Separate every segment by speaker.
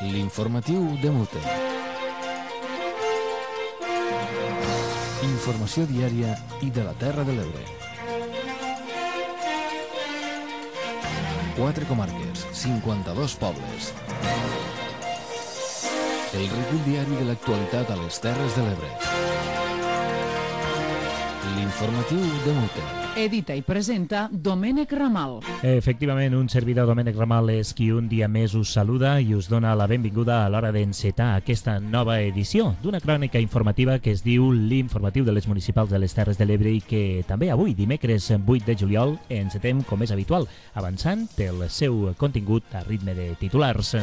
Speaker 1: L'informatiu de Mute. Informació diària i de la Terra de l'Ebre. 4 comarques, 52 pobles. El recull diari de l'actualitat a les Terres de l'Ebre. L'informatiu de Mute.
Speaker 2: Edita i presenta Domènec Ramal.
Speaker 3: Efectivament, un servidor, Domènec Ramal, és qui un dia més us saluda i us dona la benvinguda a l'hora d'encetar aquesta nova edició d'una crònica informativa que es diu l'Informatiu de les Municipals de les Terres de l'Ebre i que també avui, dimecres 8 de juliol, encetem com és habitual, avançant el seu contingut a ritme de titulars.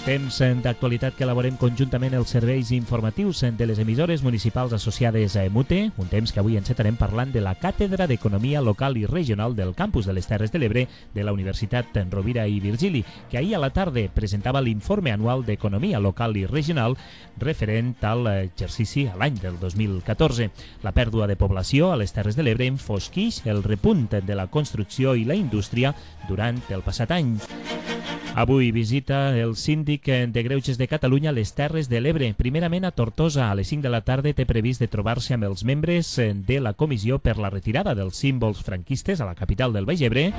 Speaker 3: Temps d'actualitat que elaborem conjuntament els serveis informatius de les emissores municipals associades a Mute, un temps que avui encetarem parlant de la Càtedra d'Economia Local i Regional del Campus de les Terres de l'Ebre de la Universitat Rovira i Virgili, que ahir a la tarda presentava l'informe anual d'Economia Local i Regional referent a l'exercici a l'any del 2014. La pèrdua de població a les Terres de l'Ebre enfosquix el repunt de la construcció i la indústria durant el passat any. Avui visita el síndic de Greuges de Catalunya a les Terres de l'Ebre. Primerament a Tortosa, a les 5 de la tarda té previst de trobar-se amb els membres de la comissió per la retirada dels símbols franquistes a la capital del Baix Ebre.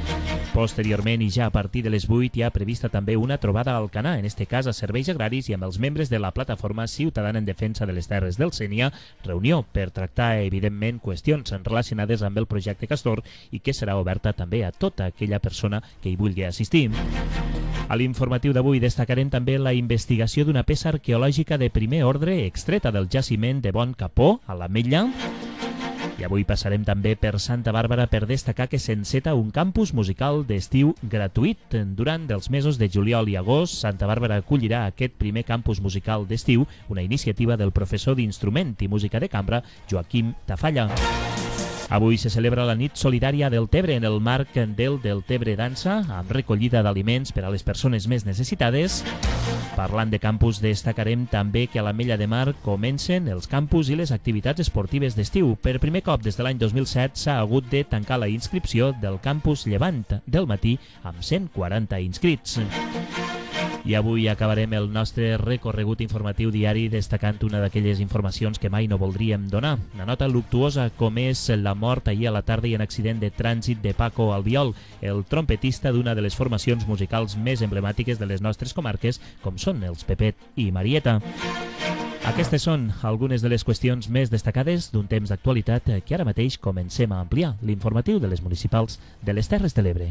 Speaker 3: Posteriorment i ja a partir de les 8 hi ha prevista també una trobada a Alcanar, en este cas a Serveis Agraris i amb els membres de la plataforma ciutadana en defensa de les Terres del Sénia, reunió per tractar evidentment qüestions relacionades amb el projecte Castor i que serà oberta també a tota aquella persona que hi vulgui assistir. A l'informatiu d'avui destacarem també la investigació d'una peça arqueològica de primer ordre extreta del jaciment de Bon Capó, a l'Ametlla. I avui passarem també per Santa Bàrbara per destacar que s'enceta un campus musical d'estiu gratuït. Durant els mesos de juliol i agost, Santa Bàrbara acollirà aquest primer campus musical d'estiu, una iniciativa del professor d'instrument i música de cambra, Joaquim Tafalla. Avui se celebra la nit solidària del Tebre en el marc del Tebre Dansa, amb recollida d'aliments per a les persones més necessitades. Parlant de campus, destacarem també que a l'Ametlla de Mar comencen els campus i les activitats esportives d'estiu. Per primer cop des de l'any 2007 s'ha hagut de tancar la inscripció del campus Llevant del matí amb 140 inscrits. I avui acabarem el nostre recorregut informatiu diari destacant una d'aquelles informacions que mai no voldríem donar. Una nota luctuosa com és la mort ahir a la tarda i en accident de trànsit de Paco Albiol, el trompetista d'una de les formacions musicals més emblemàtiques de les nostres comarques, com són els Pepet i Marieta. Aquestes són algunes de les qüestions més destacades d'un temps d'actualitat que ara mateix comencem a ampliar l'informatiu de les municipals de les Terres de l'Ebre.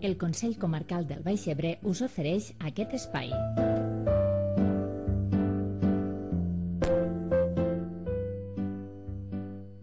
Speaker 4: El Consell Comarcal del Baix Ebre us ofereix aquest espai.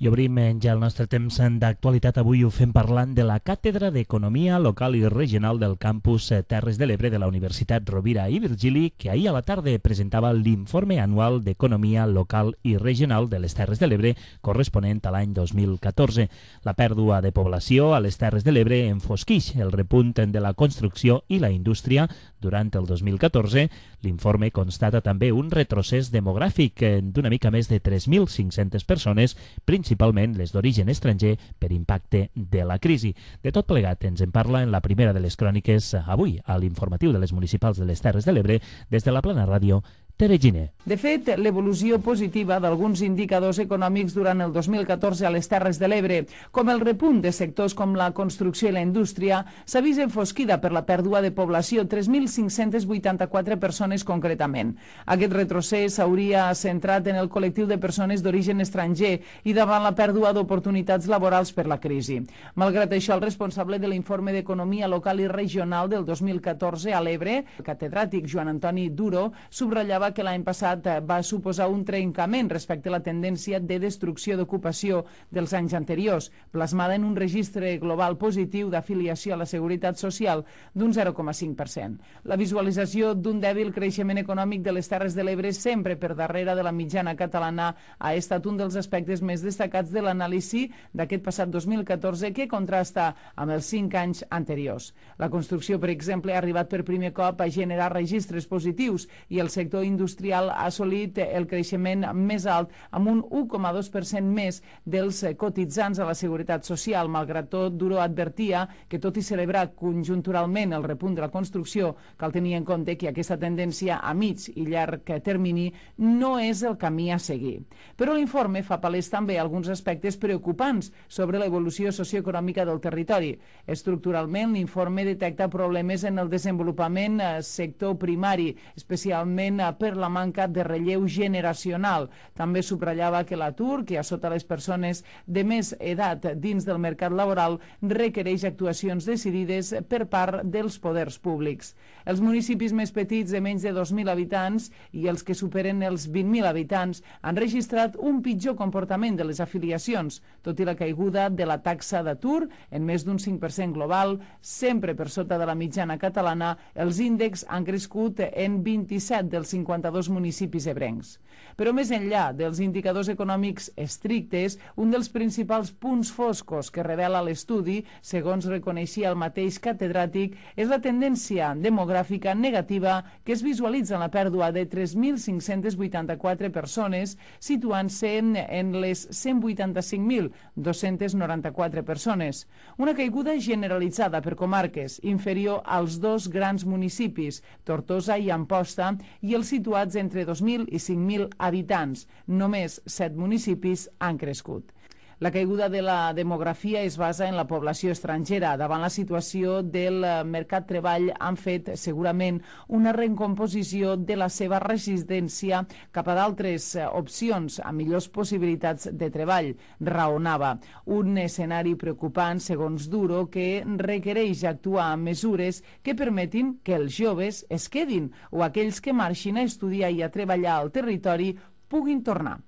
Speaker 3: I obrim ja el nostre temps d'actualitat. Avui ho fem parlant de la Càtedra d'Economia Local i Regional del Campus Terres de l'Ebre de la Universitat Rovira i Virgili, que ahir a la tarda presentava l'informe anual d'Economia Local i Regional de les Terres de l'Ebre corresponent a l'any 2014. La pèrdua de població a les Terres de l'Ebre enfosquix el repunt de la construcció i la indústria durant el 2014. L'informe constata també un retrocés demogràfic d'una mica més de 3.500 persones, principalment les d'origen estranger per impacte de la crisi. De tot plegat ens en parla en la primera de les cròniques avui a l'informatiu de les municipals de les Terres de l'Ebre des de la Plana Ràdio, Tere Giner.
Speaker 2: De fet, l'evolució positiva d'alguns indicadors econòmics durant el 2014 a les Terres de l'Ebre, com el repunt de sectors com la construcció i la indústria, s'ha vist enfosquida per la pèrdua de població, 3.584 persones concretament. Aquest retrocés s'hauria centrat en el col·lectiu de persones d'origen estranger i davant la pèrdua d'oportunitats laborals per la crisi. Malgrat això, el responsable de l'informe d'Economia Local i Regional del 2014 a l'Ebre, el catedràtic Joan Antoni Duro, subratllava que l'any passat va suposar un trencament respecte a la tendència de destrucció d'ocupació dels anys anteriors, plasmada en un registre global positiu d'afiliació a la Seguretat Social d'un 0,5%. La visualització d'un dèbil creixement econòmic de les Terres de l'Ebre sempre per darrere de la mitjana catalana ha estat un dels aspectes més destacats de l'anàlisi d'aquest passat 2014 que contrasta amb els 5 anys anteriors. La construcció, per exemple, ha arribat per primer cop a generar registres positius i el sector industrial industrial ha assolit el creixement més alt, amb un 1,2% més dels cotitzants a la Seguretat Social. Malgrat tot, Duro advertia que, tot i celebrar conjunturalment el repunt de la construcció, cal tenir en compte que aquesta tendència a mig i llarg termini no és el camí a seguir. Però l'informe fa palès també alguns aspectes preocupants sobre l'evolució socioeconòmica del territori. Estructuralment, l'informe detecta problemes en el desenvolupament sector primari, especialment per la manca de relleu generacional. També subratllava que l'atur, que assota les persones de més edat dins del mercat laboral, requereix actuacions decidides per part dels poders públics. Els municipis més petits de menys de 2.000 habitants i els que superen els 20.000 habitants han registrat un pitjor comportament de les afiliacions, tot i la caiguda de la taxa d'atur en més d'un 5% global, sempre per sota de la mitjana catalana. Els índexs han crescut en 27 dels 52 municipis ebrencs. Però més enllà dels indicadors econòmics estrictes, un dels principals punts foscos que revela l'estudi, segons reconeixia el mateix catedràtic, és la tendència demogràfica negativa que es visualitza en la pèrdua de 3.584 persones, situant-se en les 185.294 persones. Una caiguda generalitzada per comarques, inferior als dos grans municipis, Tortosa i Amposta, i els situats entre 2.000 i 5.000 habitants. Només 7 municipis han crescut. La caiguda de la demografia es basa en la població estrangera. Davant la situació del mercat de treball han fet segurament una recomposició de la seva resistència cap a d'altres opcions amb millors possibilitats de treball, raonava. Un escenari preocupant, segons Duro, que requereix actuar amb mesures que permetin que els joves es quedin o aquells que marxin a estudiar i a treballar al territori puguin tornar.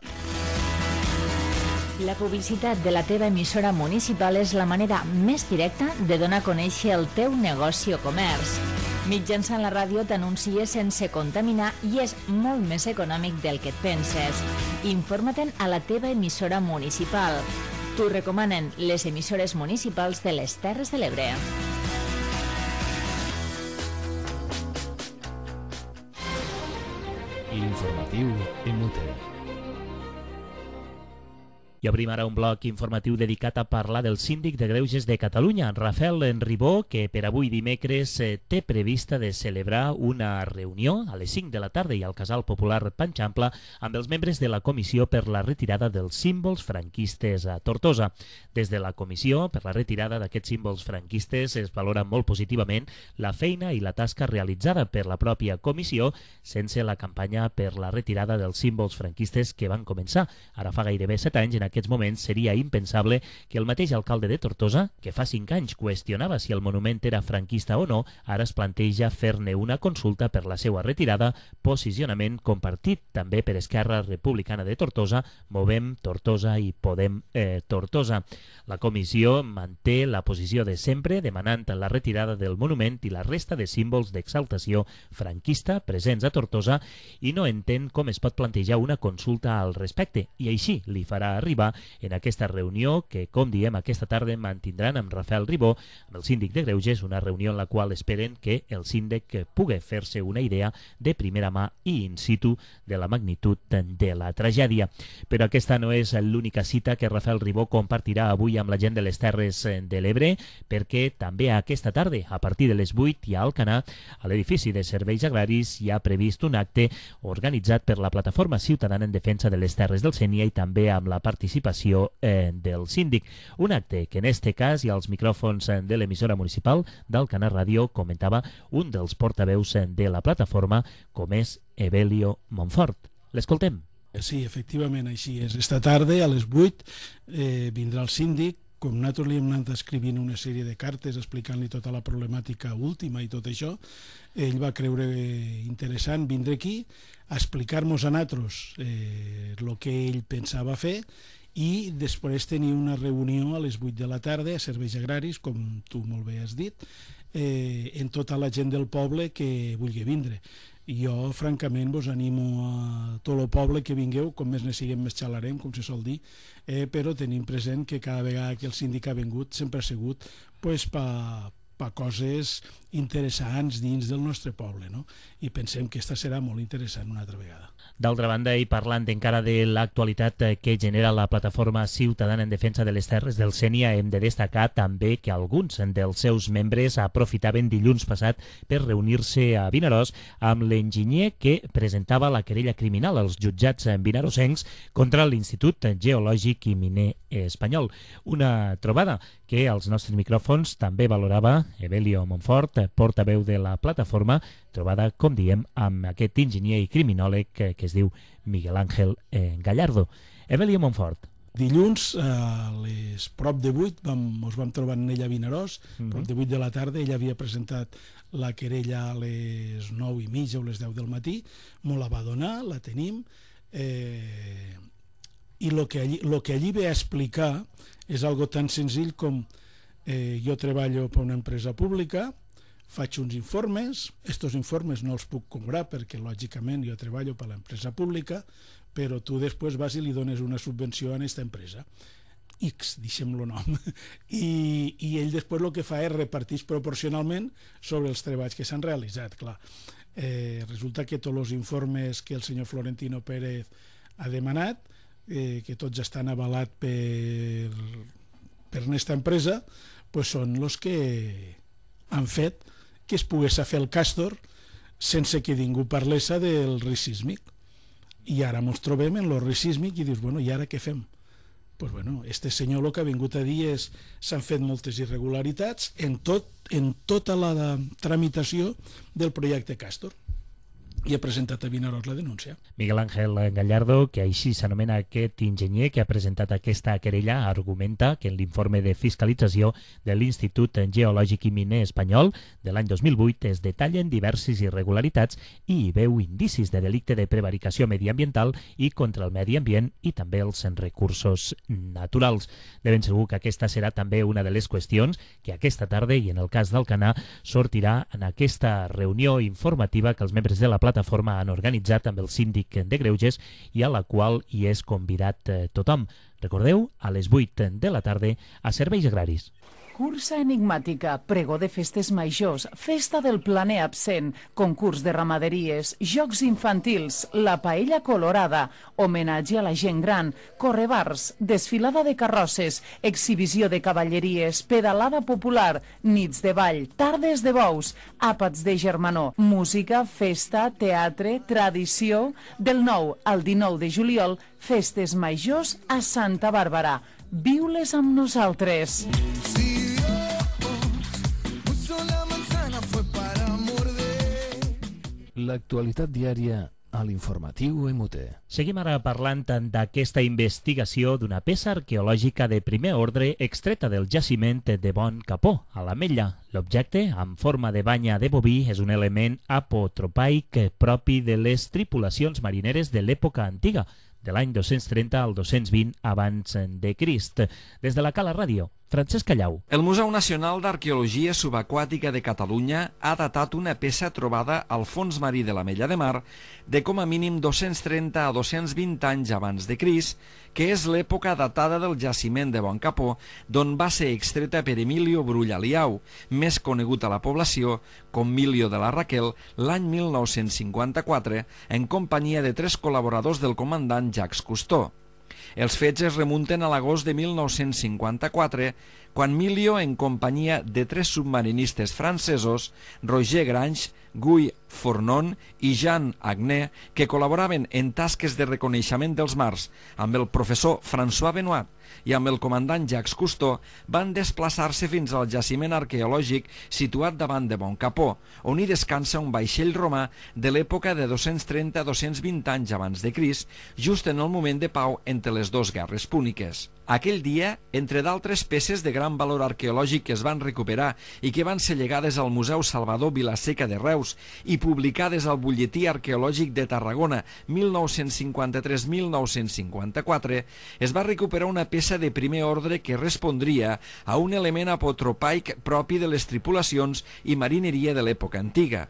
Speaker 4: La publicitat de la teva emissora municipal és la manera més directa de donar a conèixer el teu negoci o comerç. Mitjançant la ràdio t'anuncies sense contaminar i és molt més econòmic del que et penses. Informa-te'n a la teva emissora municipal. T'ho recomanen les emissores municipals de les Terres de l'Ebre.
Speaker 1: L'informatiu Emute.
Speaker 3: I obrim ara un bloc informatiu dedicat a parlar del síndic de Greuges de Catalunya, Rafael Ribó, que per avui dimecres té prevista de celebrar una reunió a les 5 de la tarda i al Casal Popular Panxampla amb els membres de la Comissió per la retirada dels símbols franquistes a Tortosa. Des de la Comissió per la retirada d'aquests símbols franquistes es valora molt positivament la feina i la tasca realitzada per la pròpia comissió sense la campanya per la retirada dels símbols franquistes que van començar ara fa gairebé 7 anys. En aquests moments seria impensable que el mateix alcalde de Tortosa, que fa 5 anys qüestionava si el monument era franquista o no, ara es planteja fer-ne una consulta per la seva retirada, posicionament compartit també per Esquerra Republicana de Tortosa, Movem Tortosa i Podem Tortosa. La comissió manté la posició de sempre, demanant la retirada del monument i la resta de símbols d'exaltació franquista presents a Tortosa i no entén com es pot plantejar una consulta al respecte, i així li farà arribar en aquesta reunió que, com diem, aquesta tarda mantindran amb Rafael Ribó, amb el síndic de Greuges, una reunió en la qual esperen que el síndic pugui fer-se una idea de primera mà i in situ de la magnitud de la tragèdia. Però aquesta no és l'única cita que Rafael Ribó compartirà avui amb la gent de les Terres de l'Ebre, perquè també aquesta tarda, a partir de les 8 i a Alcanar, a l'edifici de Serveis Agraris, hi ha previst un acte organitzat per la Plataforma Ciutadana en Defensa de les Terres del Sénia i també amb la participació del síndic. Un acte que en este cas i als micròfons de l'emissora municipal d'Alcanar Ràdio comentava un dels portaveus de la plataforma, com és Evelio Montfort. L'escoltem.
Speaker 5: Sí, efectivament, així és. Esta tarda, a les 8, vindrà el síndic. Com nosaltres li hem anat escrivint una sèrie de cartes explicant-li tota la problemàtica última i tot això, ell va creure interessant vindre aquí a explicar-nos a nosaltres el que ell pensava fer i després tenir una reunió a les 8 de la tarda a Serveis Agraris, com tu molt bé has dit, en tota la gent del poble que vulgui vindre. Jo, francament, vos animo a tot el poble que vingueu, com més ne siguem més xalarem, com se sol dir, però tenim present que cada vegada que el síndic ha vingut sempre ha sigut per per coses interessants dins del nostre poble, no? I pensem que aquesta serà molt interessant una altra vegada.
Speaker 3: D'altra banda, i parlant encara de l'actualitat que genera la plataforma ciutadana en defensa de les terres del Sénia, hem de destacar també que alguns dels seus membres aprofitaven dilluns passat per reunir-se a Vinaròs amb l'enginyer que presentava la querella criminal als jutjats vinarosencs contra l'Institut Geològic i Miner Espanyol. Una trobada que als nostres micròfons també valorava Evelio Monfort, portaveu de la plataforma, trobada, com diem, amb aquest enginyer i criminòleg que es diu Miguel Ángel Gallardo. Evelio Monfort.
Speaker 5: Dilluns, a les prop de 8, ens vam trobar en ella a Vinaròs, prop de 8 de la tarda. Ella havia presentat la querella a les 9:30 o les 10 del matí, me la va donar, la tenim, i el que allí ve a explicar és algo tan senzill com jo treballo per una empresa pública, faig uns informes, estos informes no els puc cobrar perquè lògicament jo treballo per l'empresa pública, però tu després vas i li dones una subvenció a aquesta empresa, X, deixem-lo nom, i ell després el que fa és reparteix proporcionalment sobre els treballs que s'han realitzat, clar. Resulta que tots els informes que el senyor Florentino Pérez ha demanat, que tots estan avalats per aquesta empresa, pues són els que han fet que es pogués fer el Càstor sense que ningú parlés del risc sísmic. I ara ens trobem en el risc sísmic i dius, bueno, i ara què fem? Pues bueno, este senyor el que ha vingut a dir és s'han fet moltes irregularitats en tota la tramitació del projecte Càstor. I ha presentat a Vinaròs la denúncia.
Speaker 3: Miguel Ángel Gallardo, que així s'anomena aquest enginyer que ha presentat aquesta querella, argumenta que en l'informe de fiscalització de l'Institut Geològic i Miner Espanyol de l'any 2008 es detallen diverses irregularitats i hi veu indicis de delicte de prevaricació mediambiental i contra el medi ambient i també els recursos naturals. De ben segur que aquesta serà també una de les qüestions que aquesta tarda i en el cas d'Alcanar sortirà en aquesta reunió informativa que els membres de la plataforma han organitzat amb el síndic de Greuges i a la qual hi és convidat tothom. Recordeu, a les 8 de la tarda a Serveis Agraris.
Speaker 2: Cursa enigmàtica, pregó de festes majors, festa del planer absent, concurs de ramaderies, jocs infantils, la paella colorada, homenatge a la gent gran, correbars, desfilada de carrosses, exhibició de cavalleries, pedalada popular, nits de ball, tardes de bous, àpats de germanor, música, festa, teatre, tradició. Del 9 al 19 de juliol, festes majors a Santa Bàrbara. Viu-les amb nosaltres.
Speaker 1: L'actualitat diària a l'informatiu MUT.
Speaker 3: Seguim ara parlant d'aquesta investigació d'una peça arqueològica de primer ordre extreta del jaciment de Bon Capó, a l'Ametlla. L'objecte, en forma de banya de boví, és un element apotropaic propi de les tripulacions marineres de l'època antiga, de l'any 230 al 220 abans de Crist. Des de la Cala Ràdio, Francesc Callau.
Speaker 6: El Museu Nacional d'Arqueologia Subaquàtica de Catalunya ha datat una peça trobada al fons marí de l'Ametlla de Mar de com a mínim 230 a 220 anys abans de Crist, que és l'època datada del jaciment de Bon Capó, d'on va ser extreta per Emilio Brull Aliau, més conegut a la població com Milio de la Raquel, l'any 1954, en companyia de 3 col·laboradors del comandant Jacques Cousteau. Els fets es remunten a l'agost de 1954, quan Milio, en companyia de 3 submarinistes francesos, Roger Grange, Guy Fournon i Jean Agné, que col·laboraven en tasques de reconeixement dels mars amb el professor François Benoit i amb el comandant Jacques Cousteau, van desplaçar-se fins al jaciment arqueològic situat davant de Bon Capó, on hi descansa un vaixell romà de l'època de 230 a 220 anys abans de Crist, just en el moment de pau entre les dues guerres púniques. Aquell dia, entre d'altres peces de gran valor arqueològic que es van recuperar i que van ser llegades al Museu Salvador Vilaseca de Reus i publicades al Butlletí Arqueològic de Tarragona 1953-1954, es va recuperar una peça de primer ordre que respondria a un element apotropaic propi de les tripulacions i marineria de l'època antiga.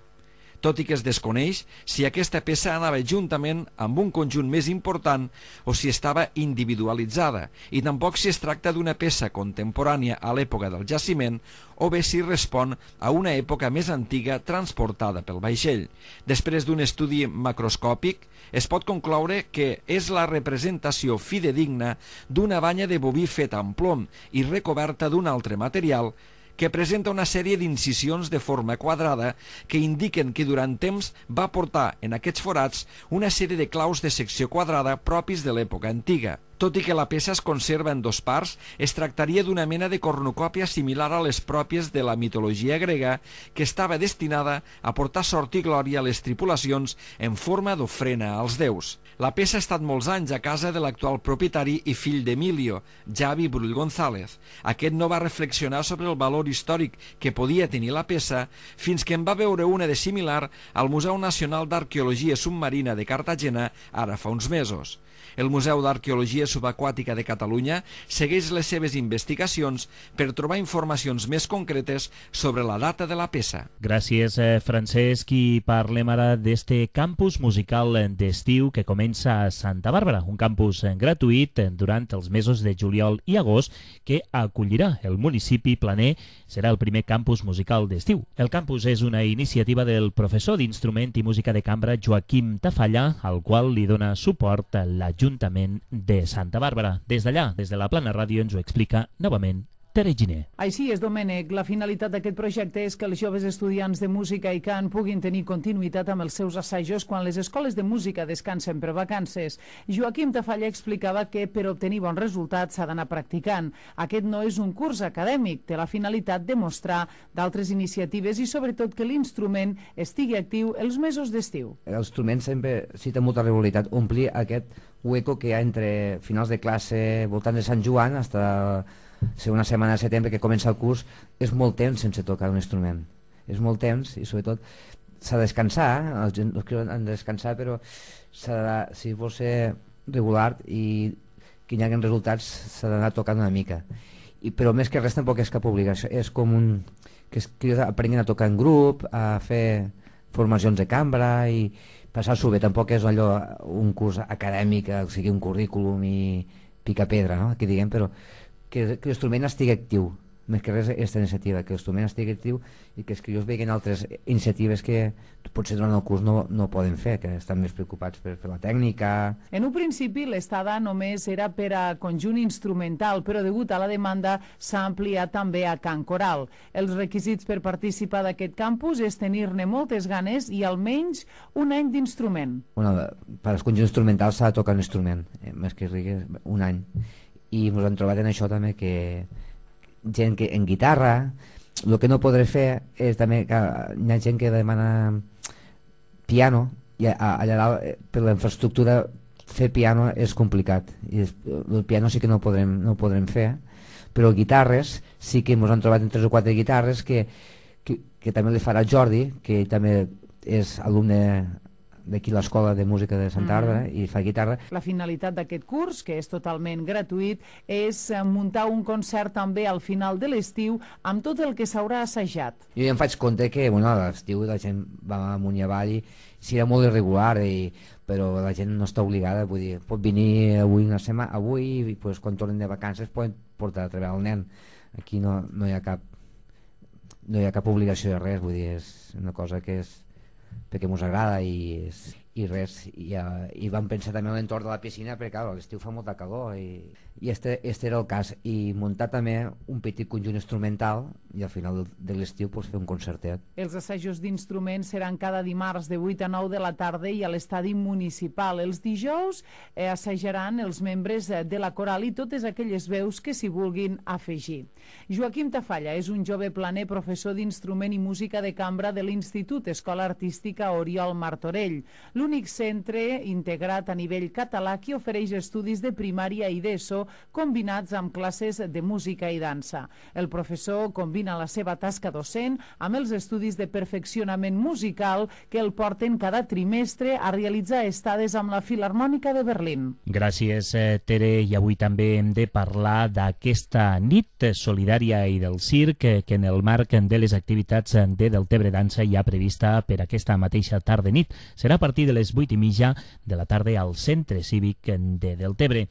Speaker 6: tot i que es desconeix si aquesta peça anava juntament amb un conjunt més important o si estava individualitzada, i tampoc si es tracta d'una peça contemporània a l'època del jaciment o bé si respon a una època més antiga transportada pel vaixell. Després d'un estudi macroscòpic, es pot concloure que és la representació fidedigna d'una banya de boví feta amb plom i recoberta d'un altre material que presenta una sèrie d'incisions de forma quadrada que indiquen que durant temps va portar en aquests forats una sèrie de claus de secció quadrada propis de l'època antiga. Tot i que la peça es conserva en dos parts, es tractaria d'una mena de cornucòpia similar a les pròpies de la mitologia grega, que estava destinada a portar sort i glòria a les tripulacions en forma d'ofrena als déus. La peça ha estat molts anys a casa de l'actual propietari i fill d'Emilio, Javi Brull González. Aquest no va reflexionar sobre el valor històric que podia tenir la peça fins que en va veure una de similar al Museu Nacional d'Arqueologia Submarina de Cartagena ara fa uns mesos. El Museu d'Arqueologia Subaquàtica de Catalunya segueix les seves investigacions per trobar informacions més concretes sobre la data de la peça.
Speaker 3: Gràcies, Francesc. I parlem ara d'este campus musical d'estiu que comença a Santa Bàrbara, un campus gratuït durant els mesos de juliol i agost que acollirà el municipi planer. Serà el primer campus musical d'estiu. El campus és una iniciativa del professor d'instrument i música de cambra Joaquim Tafalla, al qual li dona suport l'Ajuntament de Santa Bàrbara. Des d'allà, des de la Plana Ràdio, ens ho explica novament Tere Giner.
Speaker 2: Així és, Domènec. La finalitat d'aquest projecte és que els joves estudiants de música i cant puguin tenir continuïtat amb els seus assajos quan les escoles de música descansen per vacances. Joaquim Tafalla explicava que per obtenir bons resultats s'ha d'anar practicant. Aquest no és un curs acadèmic, té la finalitat de mostrar d'altres iniciatives i sobretot que l'instrument estigui actiu els mesos d'estiu.
Speaker 7: L'instrument sempre cita molta regularitat, omplir aquest hueco que hi ha entre finals de classe voltant de Sant Joan fins una setmana de setembre que comença el curs. És molt temps sense tocar un instrument, és molt temps i sobretot s'ha de descansar, els que han de descansar, però si vol ser regular i que hi hagi resultats s'ha d'anar tocant una mica. Però més que res tampoc és cap obligació, és com que aprenguin a tocar en grup, a fer formacions de cambra i passar-s'ho bé. Tampoc és allò un curs acadèmic, o sigui un currículum i pica pedra, no? Que diguem, però que l'instrument estigui actiu, més que res aquesta iniciativa, que l'instrument estigui actiu i que els crios vegin altres iniciatives que potser durant el curs no poden fer, que estan més preocupats per la tècnica.
Speaker 2: En un principi l'estada només era per a conjunt instrumental, però degut a la demanda s'ha ampliat també a cant coral. Els requisits per participar d'aquest campus és tenir-ne moltes ganes i almenys un any d'instrument.
Speaker 7: Per als conjunts instrumentals s'ha de tocar un instrument, més que rigui un any. I ens hem trobat en això també que gent que en guitarra, el que no podré fer és també que hi ha gent que demana piano i allà dalt per la infraestructura fer piano és complicat i el piano sí que no podrem fer, però guitarres sí que ens han trobat en 3 o 4 guitarres que també li farà Jordi, que també és alumne d'aquí l'escola de música de Santa Bàrbara i fa guitarra.
Speaker 2: La finalitat d'aquest curs, que és totalment gratuït, és muntar un concert també al final de l'estiu amb tot el que s'haurà assajat.
Speaker 7: Jo ja em faig compte que a l'estiu la gent va amunt i avall i serà molt irregular, però la gent no està obligada, vull dir, pot venir avui una setmana, avui i quan tornen de vacances poden portar a treballar el nen. Aquí no hi ha cap obligació de res, vull dir, és una cosa que és perquè ens agrada i res, i vam pensar també en l'entorn de la piscina perquè clar, a l'estiu fa molta calor i este era el cas, i muntar també un petit conjunt instrumental i al final de l'estiu fer un concertet.
Speaker 2: Els assajos d'instruments seran cada dimarts de 8 a 9 de la tarda i a l'estadi municipal. Els dijous assajaran els membres de la coral i totes aquelles veus que s'hi vulguin afegir. Joaquim Tafalla és un jove planer, professor d'instrument i música de cambra de l'Institut Escola Artística Oriol Martorell, l'únic centre integrat a nivell català que ofereix estudis de primària i d'ESO formació combinats amb classes de música i dansa. El professor combina la seva tasca docent amb els estudis de perfeccionament musical que el porten cada trimestre a realitzar estades amb la Filharmònica de Berlín.
Speaker 3: Gràcies, Tere. I avui també hem de parlar d'aquesta nit solidària i del circ que en el marc de les activitats de Deltebre Dansa hi ha prevista per aquesta mateixa tarda-nit. Serà a partir de les 8:30 de la tarda al Centre Cívic de Deltebre.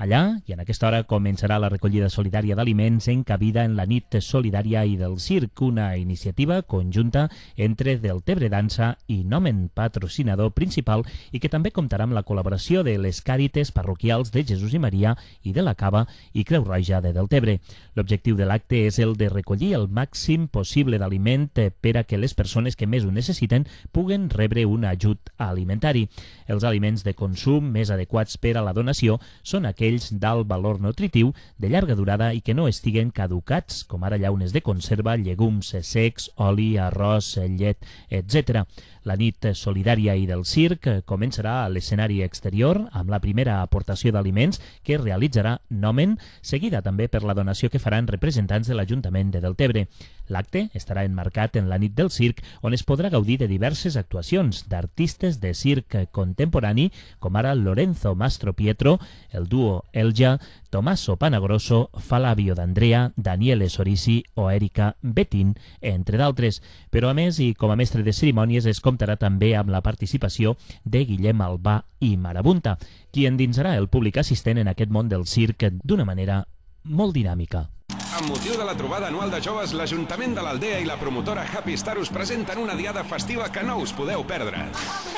Speaker 3: Allà, i en aquesta hora, començarà la recollida solidària d'aliments encabida en la nit solidària i del circ, una iniciativa conjunta entre Deltebre Dansa i Nomen, patrocinador principal, i que també comptarà amb la col·laboració de les Càrites parroquials de Jesús i Maria i de la Cava i Creu Roja de Deltebre. L'objectiu de l'acte és el de recollir el màxim possible d'aliment per a que les persones que més ho necessiten puguen rebre un ajut alimentari. Els aliments de consum més adequats per a la donació són aquells d'alt valor nutritiu, de llarga durada i que no estiguen caducats, com ara llaunes de conserva, llegums secs, oli, arròs, llet, etc. La nit solidària i del circ començarà a l'escenari exterior amb la primera aportació d'aliments que realitzarà Nomen, seguida també per la donació que faran representants de l'Ajuntament de Deltebre. L'acte estarà enmarcat en la nit del circ, on es podrà gaudir de diverses actuacions d'artistes de circ contemporani, com ara Lorenzo Mastro Pietro, el duo Elja, Tommaso Panagrosso, Flavio D'Andrea, Daniele Sorisi o Erika Betín, entre d'altres. Però a més, i com a mestre de cerimònies, es comptarà també amb la participació de Guillem Albà i Marabunta, qui endinsarà el públic assistent en aquest món del circ d'una manera molt dinàmica.
Speaker 8: Amb motiu de la trobada anual de joves, l'Ajuntament de l'Aldea i la promotora Happy Star us presenten una diada festiva que no us podeu perdre.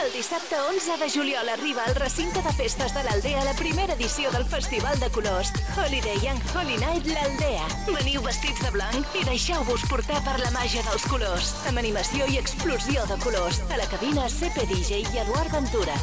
Speaker 9: El dissabte 11 de juliol arriba al recinte de festes de l'Aldea la primera edició del Festival de Colors Holiday and Holy Night l'Aldea. Veniu vestits de blanc i deixeu-vos portar per la màgia dels colors, amb animació i explosió de colors. A la cabina CP DJ i Eduard Ventura.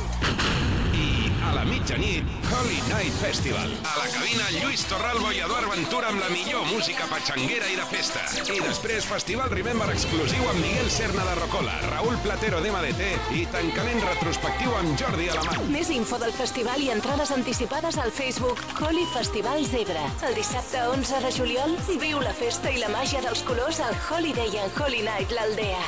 Speaker 8: A la mitjanit, Holy Night Festival. A la cabina, Lluís Torralbo i Eduard Ventura amb la millor música patxanguera i de festa. I després, Festival Remember exclusiu amb Miguel Serna de Rocola, Raúl Platero d'MDT i tancament retrospectiu amb Jordi Alamany.
Speaker 9: Més info del festival i entrades anticipades al Facebook Holi Festival Zebra. El dissabte 11 de juliol, viu la festa i la màgia dels colors al Holiday and Holy Night l'Aldea.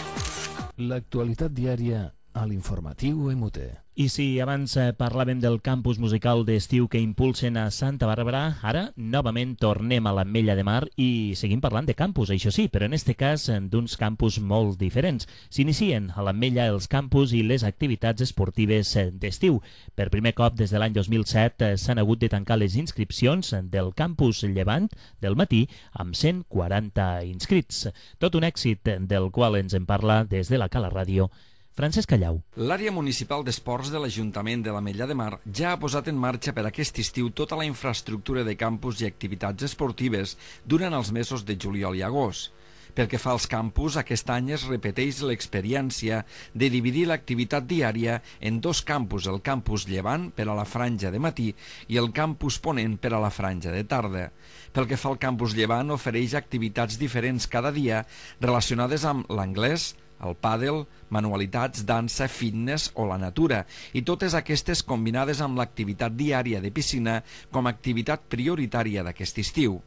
Speaker 1: L'actualitat diària a l'informatiu MUT.
Speaker 3: I si abans parlàvem del campus musical d'estiu que impulsen a Santa Bàrbara, ara novament tornem a l'Ametlla de Mar i seguim parlant de campus, això sí, però en este cas d'uns campus molt diferents. S'inicien a l'Ametlla els campus i les activitats esportives d'estiu. Per primer cop des de l'any 2007 s'han hagut de tancar les inscripcions del campus Llevant del matí amb 140 inscrits. Tot un èxit del qual ens en parla des de la Cala Ràdio Francesc Callau.
Speaker 6: L'àrea municipal d'esports de l'Ajuntament de l'Ametlla de Mar ja ha posat en marxa per aquest estiu tota la infraestructura de campus i activitats esportives durant els mesos de juliol i agost. Pel que fa als campus, aquest any es repeteix l'experiència de dividir l'activitat diària en dos campus, el campus Llevant per a la franja de matí i el campus Ponent per a la franja de tarda. Pel que fa al campus Llevant, ofereix activitats diferents cada dia relacionades amb l'anglès, el pàdel, manualitats, dansa, fitness o la natura, i totes aquestes combinades amb l'activitat diària de piscina com a activitat prioritària d'aquest estiu.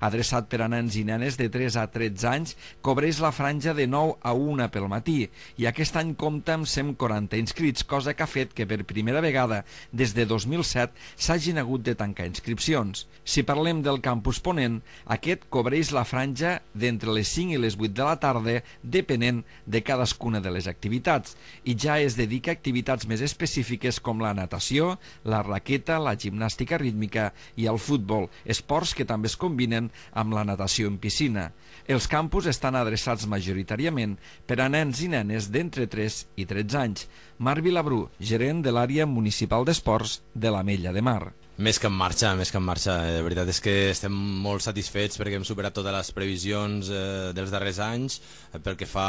Speaker 6: Adreçat per a nens i nenes de 3 a 13 anys, cobreix la franja de 9 a 1 pel matí i aquest any compta amb 140 inscrits, cosa que ha fet que per primera vegada des de 2007 s'hagin hagut de tancar inscripcions. Si parlem del campus Ponent, aquest cobreix la franja d'entre les 5 i les 8 de la tarda, depenent de cadascuna de les activitats, i ja es dedica a activitats més específiques com la natació, la raqueta, la gimnàstica rítmica i el futbol, esports que també es combinen amb la natació en piscina. Els campus estan adreçats majoritàriament per a nens i nenes d'entre 3 i 13 anys. Marc Vilabrú, gerent de l'àrea municipal d'esports de l'Ametlla de Mar.
Speaker 10: Més que en marxa, més que en marxa. La veritat és que estem molt satisfets perquè hem superat totes les previsions dels darrers anys pel que fa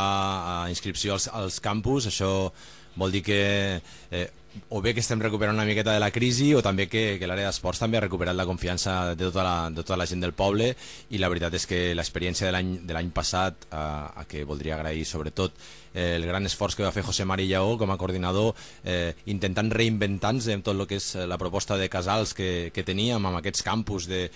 Speaker 10: a inscripció als campus. Això vol dir que o bé que estem recuperant una miqueta de la crisi o també que l'àrea d'esports també ha recuperat la confiança de tota la gent del poble, i la veritat és que l'experiència de l'any passat, a que voldria agrair sobretot el gran esforç que va fer José Mari Lleó com a coordinador, intentant reinventar-se en tot el que és la proposta de casals que teníem, amb aquests campus de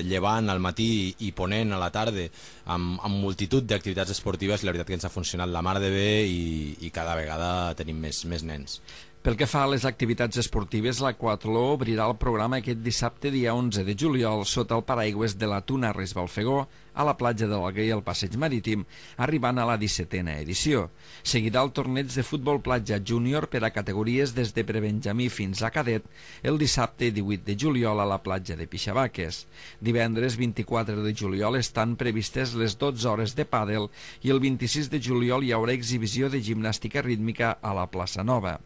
Speaker 10: llevant al matí i ponent a la tarda, amb multitud d'activitats esportives. La veritat que ens ha funcionat la mar de bé i cada vegada tenim més nens.
Speaker 6: Pel que fa a les activitats esportives, l'Aquatló obrirà el programa aquest dissabte, dia 11 de juliol, sota el paraigües de la Tuna Res Balfegó, a la platja de l'Alguer i al Passeig Marítim, arribant a la 17a edició. Seguirà el torneig de futbol platja júnior per a categories des de prebenjamí fins a cadet el dissabte 18 de juliol a la platja de Pixabaques. Divendres 24 de juliol estan previstes les 12 hores de pàdel i el 26 de juliol hi haurà exhibició de gimnàstica rítmica a la plaça Nova.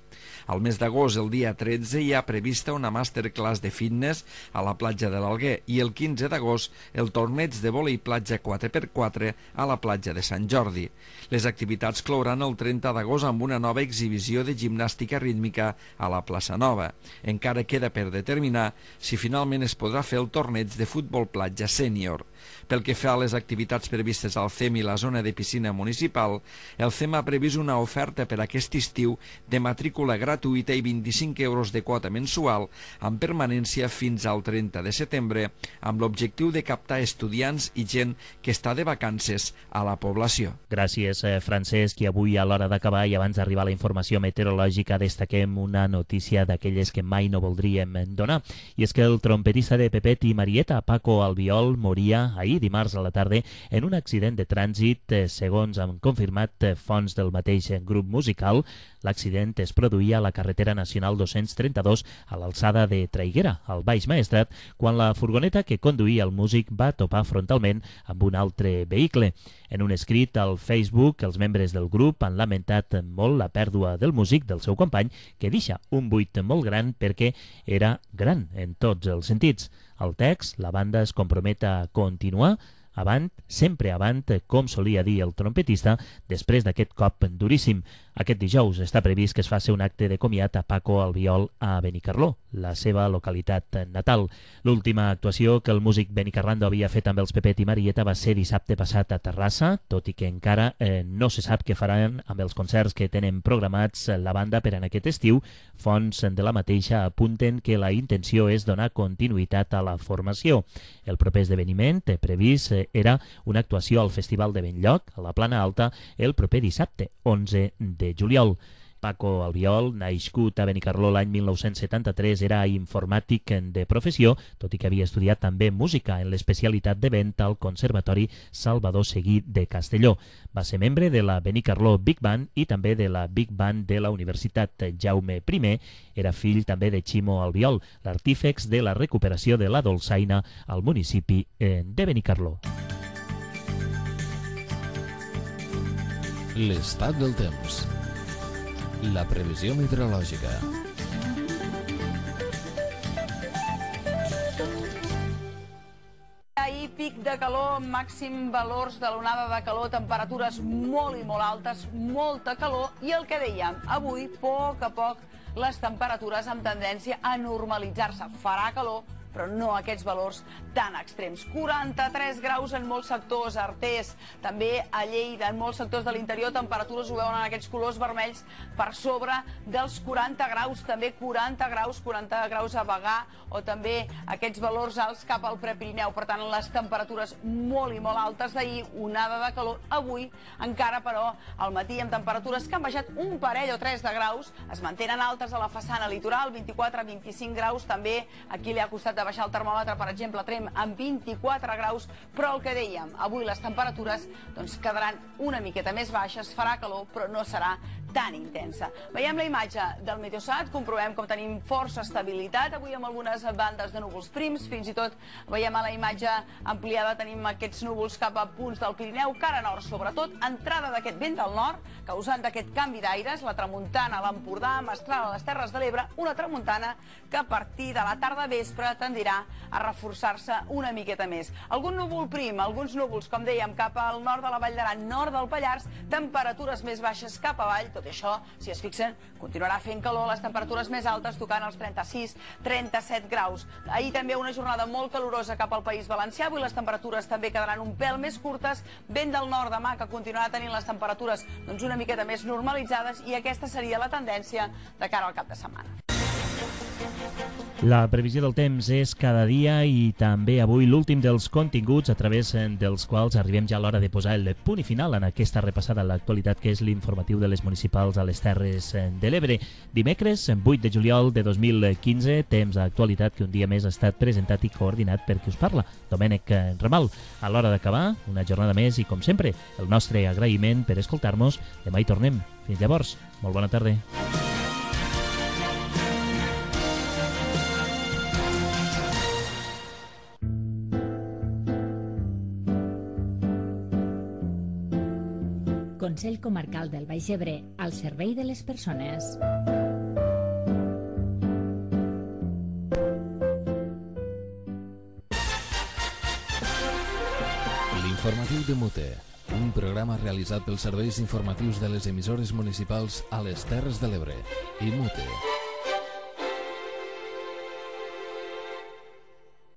Speaker 6: Al mes d'agost, el dia 13, hi ha prevista una masterclass de fitness a la platja de l'Alguer i el 15 d'agost el torneig de vòlei platja 4x4 a la platja de Sant Jordi. Les activitats clouran el 30 d'agost amb una nova exhibició de gimnàstica rítmica a la plaça Nova. Encara queda per determinar si finalment es podrà fer el torneig de futbol platja sènior. Pel que fa a les activitats previstes al CEM i la zona de piscina municipal, el CEM ha previst una oferta per aquest estiu de matrícula gratuïta i 25 euros de quota mensual amb permanència fins al 30 de setembre, amb l'objectiu de captar estudiants i gent que està de vacances a la població.
Speaker 3: Gràcies, Francesc. I avui, a l'hora d'acabar i abans d'arribar a la informació meteorològica, destaquem una notícia d'aquelles que mai no voldríem donar. I és que el trompetista de Pepet i Marieta, Paco Albiol, moria ahir dimarts a la tarda en un accident de trànsit. Segons han confirmat fonts del mateix grup musical, l'accident es produïa a la carretera nacional 232 a l'alçada de Traiguera, al Baix Maestrat, quan la furgoneta que conduïa el músic va topar frontalment amb un altre vehicle. En un escrit al Facebook, els membres del grup han lamentat molt la pèrdua del músic, del seu company, que deixa un buit molt gran perquè era gran en tots els sentits. Al text, la banda es compromet a continuar avant, sempre avant, com solia dir el trompetista, després d'aquest cop duríssim. Aquest dijous està previst que es faci un acte de comiat a Paco Albiol a Benicarló, la seva localitat natal. L'última actuació que el músic benicarrando havia fet amb els Pepet i Marieta va ser dissabte passat a Terrassa, tot i que encara no se sap què faran amb els concerts que tenen programats la banda per en aquest estiu. Fonts de la mateixa apunten que la intenció és donar continuïtat a la formació. El proper esdeveniment previst era una actuació al Festival de Benlloc, a la Plana Alta, el proper dissabte, 11 de juliol. Paco Albiol, nascut a Benicarló l'any 1973, era informàtic de professió, tot i que havia estudiat també música en l'especialitat de vent al Conservatori Salvador Seguí de Castelló. Va ser membre de la Benicarló Big Band i també de la Big Band de la Universitat Jaume I. Era fill també de Ximo Albiol, l'artífex de la recuperació de la dolçaina al municipi de Benicarló.
Speaker 1: L'estat del temps. La previsió meteorològica.
Speaker 2: Ahir pic de calor, màxim valors de l'onada de calor, temperatures molt i molt altes, molta calor, i el que dèiem, avui, a poc, les temperatures amb tendència a normalitzar-se. Farà calor, però no aquests valors tan extrems. 43 graus en molts sectors, Artés, també a Lleida, en molts sectors de l'interior, temperatures ho veuen en aquests colors vermells per sobre dels 40 graus, també 40 graus a Bagà, o també aquests valors alts cap al Prepirineu. Per tant, les temperatures molt i molt altes d'ahir, onada de calor. Avui, encara, però, al matí, amb temperatures que han baixat un parell o 3 de graus, es mantenen altes a la façana litoral, 24-25 graus, també aquí li ha costat de baixar el termòmetre, per exemple, a Tremp amb 24 graus, però el que dèiem, avui les temperatures quedaran una miqueta més baixes, farà calor, però no serà tan intensa. Veiem la imatge del Meteosat, comprovem com tenim força estabilitat, avui amb algunes bandes de núvols prims, fins i tot veiem a la imatge ampliada, tenim aquests núvols cap a punts del Pirineu, cara nord sobretot, entrada d'aquest vent del nord, causant d'aquest canvi d'aires, la tramuntana a l'Empordà, mestral a les Terres de l'Ebre, una tramuntana que a partir de la tarda vespre tendirà a reforçar-se una miqueta més. Algun núvol prim, alguns núvols, com dèiem, cap al nord de la Vall d'Aran, nord del Pallars, temperatures més baixes cap avall, tot
Speaker 11: tot i això, si es fixen, continuarà fent calor, les temperatures més altes tocant els 36-37 graus. Ahir també una jornada molt calorosa cap al País Valencià, avui les temperatures també quedaran un pèl més curtes, vent del nord demà que continuarà tenint les temperatures una miqueta més normalitzades, i aquesta seria la tendència de cara al cap de setmana.
Speaker 3: La previsió del temps és cada dia i també avui l'últim dels continguts a través dels quals arribem ja a l'hora de posar el punt i final en aquesta repassada a l'actualitat que és l'informatiu de les municipals a les Terres de l'Ebre. Dimecres, 8 de juliol de 2015, temps d'actualitat que un dia més ha estat presentat i coordinat per qui us parla, Domènec Ramal. A l'hora d'acabar, una jornada més i, com sempre, el nostre agraïment per escoltar-nos. Demà hi tornem. Fins llavors, molt bona tarda.
Speaker 4: Consell Comarcal del Baix Ebre, al servei de les persones.
Speaker 1: L'informatiu de Mute, un programa realitzat pels serveis informatius de les emissores municipals a les Terres de l'Ebre i Mute.